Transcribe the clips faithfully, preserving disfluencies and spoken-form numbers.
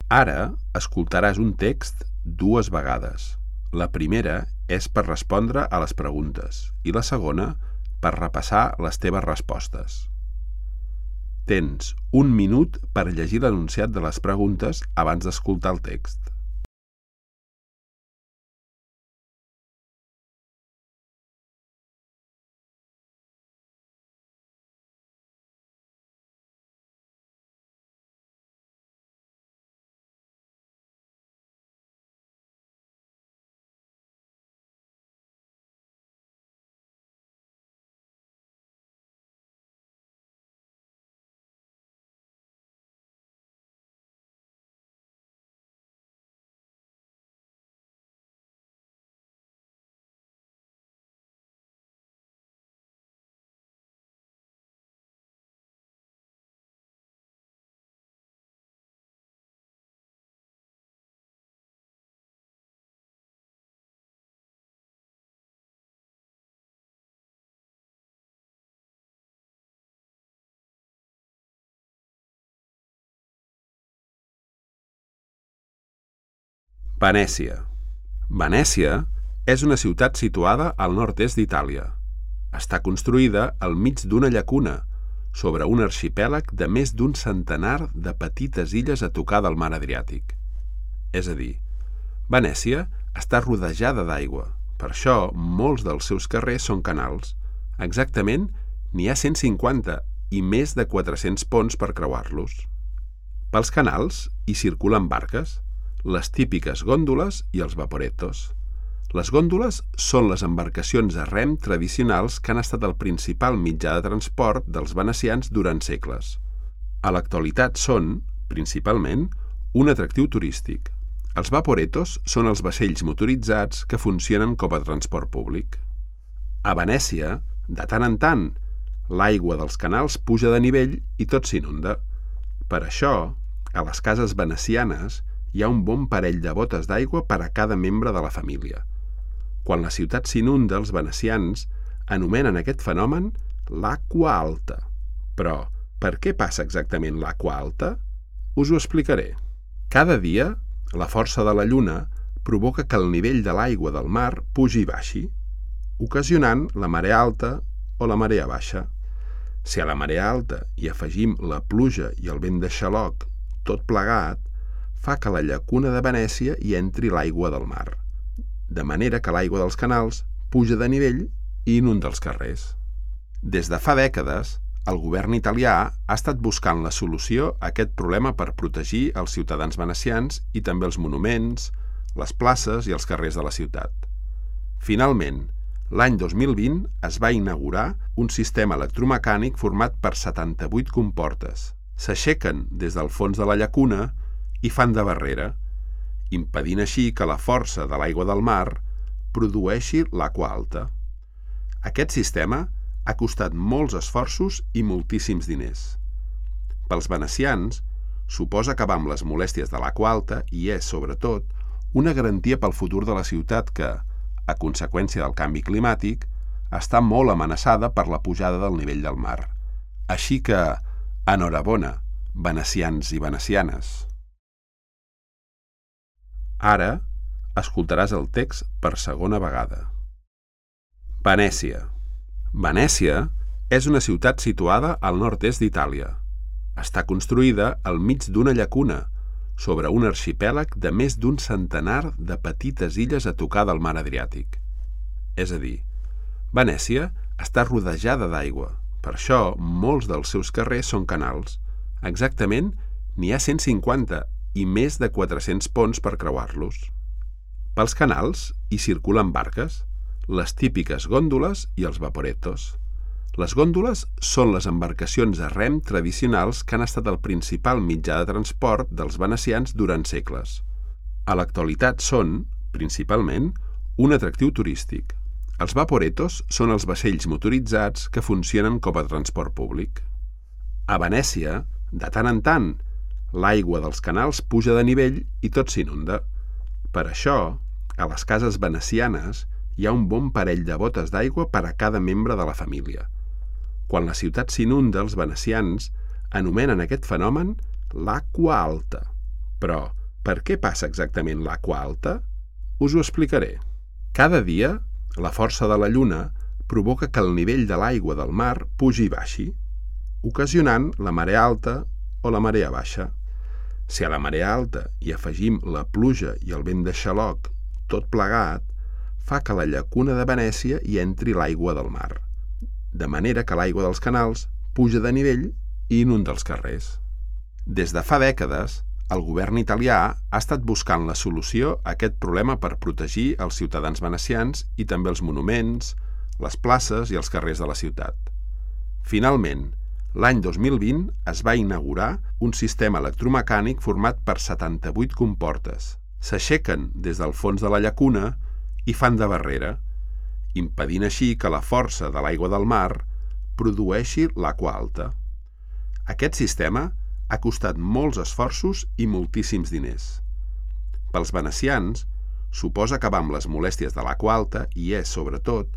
Ara escoltaràs un text dues vegades. La primera és per respondre a les preguntes i la segona per repassar les teves respostes. Tens un minut per llegir l'enunciat de les preguntes abans d'escoltar el text. Venècia. Venècia és una ciutat situada al nord-est d'Itàlia. Està construïda al mig d'una llacuna, sobre un arxipèlag de més d'un centenar de petites illes a tocar del mar Adriàtic. És a dir, Venècia està rodejada d'aigua, per això molts dels seus carrers són canals. Exactament, n'hi ha cent cinquanta i més de quatre-cents ponts per creuar-los. Pels canals hi circulen barques, les típiques gòndoles i els vaporettos. Les gòndoles són les embarcacions a rem tradicionals que han estat el principal mitjà de transport dels venecians durant segles. A l'actualitat són, principalment, un atractiu turístic. Els vaporettos són els vaixells motoritzats que funcionen com a transport públic. A Venècia, de tant en tant, l'aigua dels canals puja de nivell i tot s'inunda. Per això, a les cases venecianes hi ha un bon parell de botes d'aigua per a cada membre de la família. Quan la ciutat s'inunda, els venecians anomenen aquest fenomen l'aigua alta. Però, per què passa exactament l'aigua alta? Us ho explicaré. Cada dia, la força de la lluna provoca que el nivell de l'aigua del mar pugi i baixi, ocasionant la marea alta o la marea baixa. Si a la marea alta hi afegim la pluja i el vent de xaloc, tot plegat, fa que a la llacuna de Venècia hi entri l'aigua del mar, de manera que l'aigua dels canals puja de nivell i inunda els carrers. Des de fa dècades, el govern italià ha estat buscant la solució a aquest problema per protegir els ciutadans venecians i també els monuments, les places i els carrers de la ciutat. Finalment, l'any dos mil vint es va inaugurar un sistema electromecànic format per setanta-vuit comportes. S'aixequen des del fons de la llacuna i fan de barrera, impedint així que la força de l'aigua del mar produeixi l'aigua alta. Aquest sistema ha costat molts esforços i moltíssims diners. Pels venecians, suposa acabar amb les molèsties de l'aigua alta i és, sobretot, una garantia pel futur de la ciutat que, a conseqüència del canvi climàtic, està molt amenaçada per la pujada del nivell del mar. Així que, enhorabona, venecians i venecianes. Ara escoltaràs el text per segona vegada. Venècia. Venècia és una ciutat situada al nord-est d'Itàlia. Està construïda al mig d'una llacuna, sobre un arxipèlag de més d'un centenar de petites illes a tocar del mar Adriàtic. És a dir, Venècia està rodejada d'aigua, per això molts dels seus carrers són canals. Exactament, n'hi ha cent cinquanta i més de quatre-cents ponts per creuar-los. Pels canals hi circulen barques, les típiques gòndoles i els vaporettos. Les gòndoles són les embarcacions a rem tradicionals que han estat el principal mitjà de transport dels venecians durant segles. A l'actualitat són, principalment, un atractiu turístic. Els vaporettos són els vaixells motoritzats que funcionen com a transport públic. A Venècia, de tant en tant, l'aigua dels canals puja de nivell i tot s'inunda. Per això, a les cases venecianes hi ha un bon parell de botes d'aigua per a cada membre de la família. Quan la ciutat s'inunda, els venecians anomenen aquest fenomen l'aigua alta. Però, Per què passa exactament l'aigua alta? Us ho explicaré. Cada dia, la força de la lluna provoca que el nivell de l'aigua del mar pugi i baixi, ocasionant la marea alta o la marea baixa. Si a la marea alta hi afegim la pluja i el vent de xaloc, tot plegat, fa que a la llacuna de Venècia hi entri l'aigua del mar, de manera que l'aigua dels canals puja de nivell i inunda els carrers. Des de fa dècades, el govern italià ha estat buscant la solució a aquest problema per protegir els ciutadans venecians i també els monuments, les places i els carrers de la ciutat. Finalment, l'any dos mil vint es va inaugurar un sistema electromecànic format per setanta-vuit comportes. S'aixequen des del fons de la llacuna i fan de barrera, impedint així que la força de l'aigua del mar produeixi l'aigua alta. Aquest sistema ha costat molts esforços i moltíssims diners. Pels venecians, suposa acabar amb les molèsties de l'aigua alta i és, sobretot,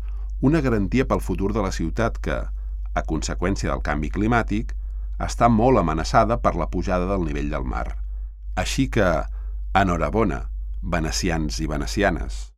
una garantia pel futur de la ciutat que, a conseqüència del canvi climàtic, està molt amenaçada per la pujada del nivell del mar. Així que, enhorabona, venecians i venecianes.